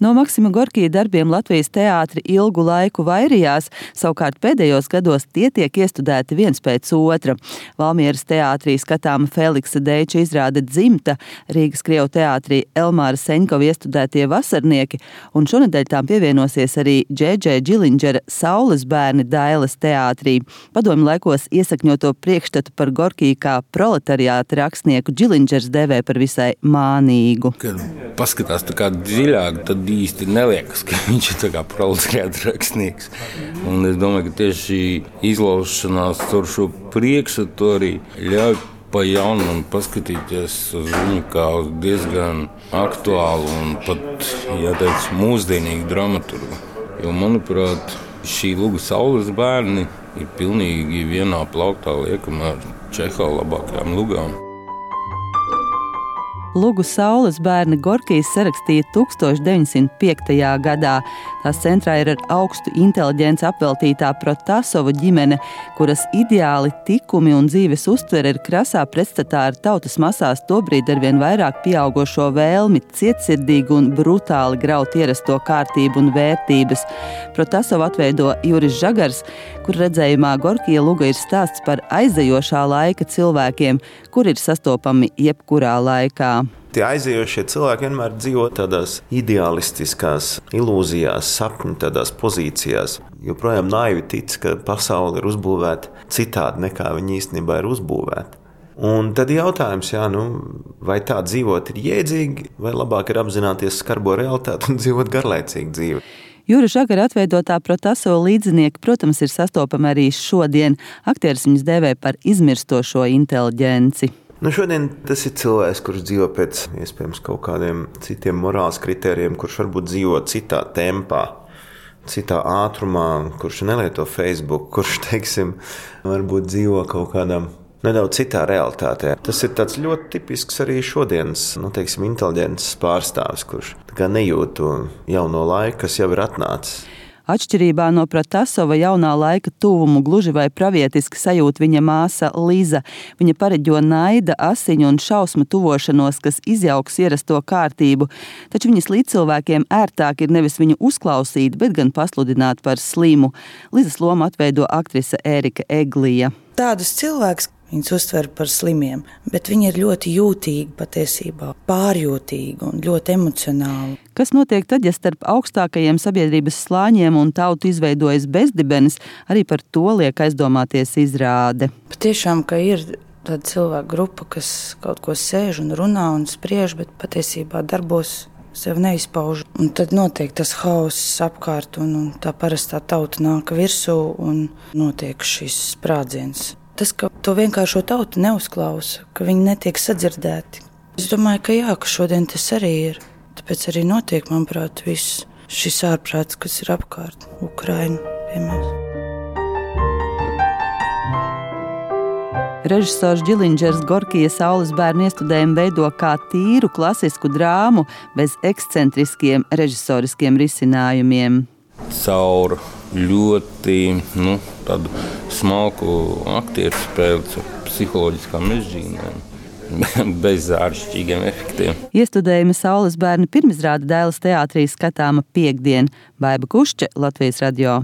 No Maksima Gorkija darbiem Latvijas teātri ilgu laiku vairījās, savukārt pēdējos gados tie tiek iestudēti viens pēc otra. Valmieras teātrī skatāma Feliksa Deiča izrāde Dzimta, Rīgas Krievu teātrī Elmāra Seņkova iestudētie Vasarnieki, un šonedēļ tām pievienosies arī Džedžē Džilindžera Saules bērni Dailes teātrī. Padomju laikos iesakņoto priekšstatu par Gorkiju kā proletariāta rakstnieku Džilindžers devē par visai mānīgu. Kad paskatās tā kā dziļāk, tad īsti neliekas, ka viņš ir tā kā proletariāta rakstnieks. Un es domāju, ka tieši šī izlaušanās caur šo priekšstatu arī ļauj pa jaunam paskatīties uz viņu kā uz diezgan aktuālu un pat, jāteic, mūsdienīgu dramaturgu. Jo, manuprāt, šī Luga Saules bērni ir pilnīgi vienā plauktā liekama ar Čehova labākajām lugām. Lugu Saules bērni Gorkijs sarakstīja 1905. gadā. Tās centrā ir ar augstu inteliģenci apveltītā Protasova ģimene, kuras ideāli, tikumi un dzīves uztvere ir krasā pretstatā ar tautas masās tobrīd arvien vairāk pieaugošo vēlmi cietsirdīgi un brutāli graut ierasto kārtību un vērtības. Protasovu atveido Juris Žagars, kur redzējumā Gorkija luga ir stāsts par aizejošā laika cilvēkiem, kur ir sastopami jebkurā laikā. Tie aizejošie cilvēki vienmēr dzīvo tādās ideālistiskās ilūzijās, sapņu tādās pozīcijās. Joprojām naivi tic, ka pasaule ir uzbūvēta citādi nekā viņa īstenībā ir uzbūvēta. Un tad jautājums, vai tā dzīvot ir jēdzīgi, vai labāk ir apzināties skarbo realitāti un dzīvot garlaicīgu dzīvi. Jura Žagara atveidotā Protasova līdzinieki, protams, ir sastopami arī šodien. Aktieris viņus dēvē par izmirstošo inteliģenci. Šodien tas ir cilvēks, kurš dzīvo pēc iespējams kaut kādiem citiem morāles kritērijiem, kurš varbūt dzīvo citā tempā, citā ātrumā, kurš nelieto Facebook, kurš, varbūt dzīvo kaut kādā nedaudz citā realitātē. Tas ir tāds ļoti tipisks arī šodienas, inteliģences pārstāvis, kurš nejūt to jauno laiku, kas jau ir atnācis. Atšķirībā no Protasova jaunā laika tuvumu gluži vai pravietiski sajūt viņa māsa Liza. Viņa pareģo naida, asiņu un šausmu tuvošanos, kas izjauks ierasto kārtību. Taču viņas līdzcilvēkiem ērtāk ir nevis viņu uzklausīt, bet gan pasludināt par slimu. Lizas lomu atveido aktrise Ērika Eglija. Tādus cilvēkus viņus uztver par slimiem, bet viņi ir ļoti jūtīgi patiesībā, pārjūtīgi un ļoti emocionāli. Kas notiek tad, ja starp augstākajiem sabiedrības slāņiem un tautu izveidojas bezdibenis, arī par to liek aizdomāties izrāde. Patiešām, ka ir tāda cilvēku grupa, kas kaut ko sēž un runā un spriež, bet patiesībā darbos sev neizpauž. Un tad notiek tas hauss apkārt un tā parastā tauta nāk virsū un notiek šis sprādziens. Tas, ka to vienkāršo tautu neuzklausa, ka viņi netiek sadzirdēti. Es domāju, ka šodien tas arī ir. Tāpēc arī notiek, manuprāt, viss šis ārprāts, kas ir apkārt Ukraina, piemēram. Režisors Džilindžers Gorkija Saules bērnu iestudējumu veido kā tīru klasisku drāmu bez ekscentriskiem režisoriskiem risinājumiem. Caur ļoti tādu smalku aktieru spēli ar psiholoģiskām mežģīnēm, bez āršķirīgiem efektiem. Iestudējuma Saules bērni pirmizrāde Dailes teātrī skatāma piektdien. Baiba Kušče, Latvijas radio.